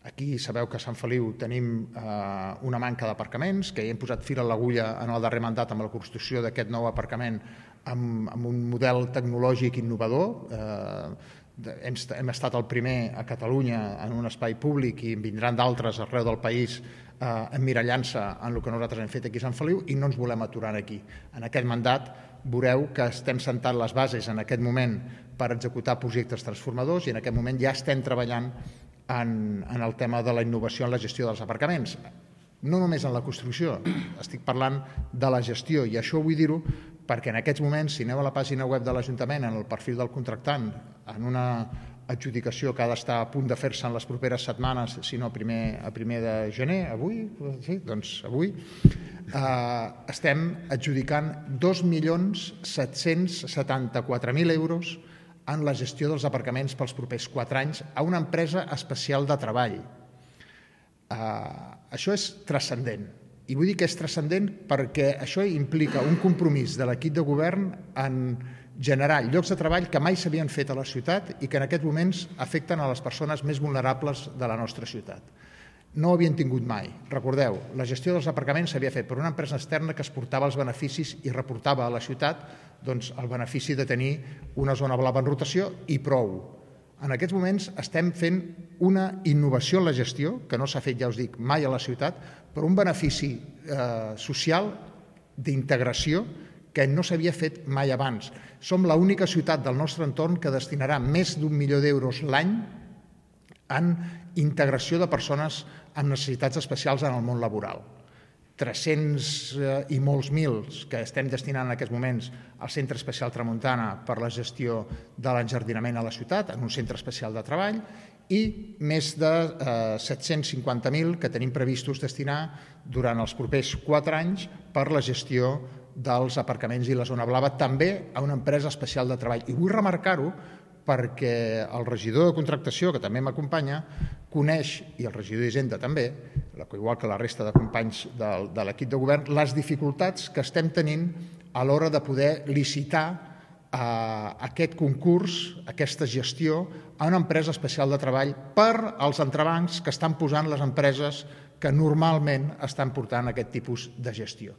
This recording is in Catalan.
Aquí sabeu que a Sant Feliu tenim una manca d'aparcaments, que ja hem posat fil a l'agulla en el darrer mandat amb la construcció d'aquest nou aparcament amb un model tecnològic innovador. Hem estat el primer a Catalunya en un espai públic i en vindran d'altres arreu del país emmirallant-se en el que nosaltres hem fet aquí a Sant Feliu i no ens volem aturar aquí. En aquest mandat veureu que estem sentant les bases en aquest moment per executar projectes transformadors i en aquest moment ja estem treballant en el tema de la innovació en la gestió dels aparcaments. No només en la construcció, estic parlant de la gestió, i això vull dir-ho perquè en aquests moments, si aneu a la pàgina web de l'Ajuntament, en el perfil del contractant, en una adjudicació que ha d'estar a punt de fer-se en les properes setmanes, si no a primer de gener, avui, sí, doncs avui, estem adjudicant 2.774.000 euros en la gestió dels aparcaments pels propers 4 anys a una empresa especial de treball. Això és transcendent. I vull dir que és transcendent perquè això implica un compromís de l'equip de govern en generar llocs de treball que mai s'havien fet a la ciutat i que en aquests moments afecten a les persones més vulnerables de la nostra ciutat. No ho havien tingut mai. Recordeu, la gestió dels aparcaments s'havia fet per una empresa externa que exportava els beneficis i reportava a la ciutat el benefici de tenir una zona blava en rotació i prou. En aquests moments estem fent una innovació en la gestió, que no s'ha fet, ja us dic, mai a la ciutat, però un benefici social d'integració que no s'havia fet mai abans. Som l'única ciutat del nostre entorn que destinarà més d'1 milió d'euros l'any en integració de persones amb necessitats especials en el món laboral. 300 i molts mils que estem destinant en aquests moments al Centre Especial Tramuntana per la gestió de l'enjardinament a la ciutat, en un centre especial de treball, i més de 750.000 que tenim previstos destinar durant els propers 4 anys per la gestió dels aparcaments i la zona blava, també a una empresa especial de treball. I vull remarcar-ho perquè el regidor de contractació, que també m'acompanya, coneix, i el regidor d'Hisenda també, igual que la resta de companys de l'equip de govern, les dificultats que estem tenint a l'hora de poder licitar aquest concurs, aquesta gestió, a una empresa especial de treball per als entrebancs que estan posant les empreses que normalment estan portant aquest tipus de gestió.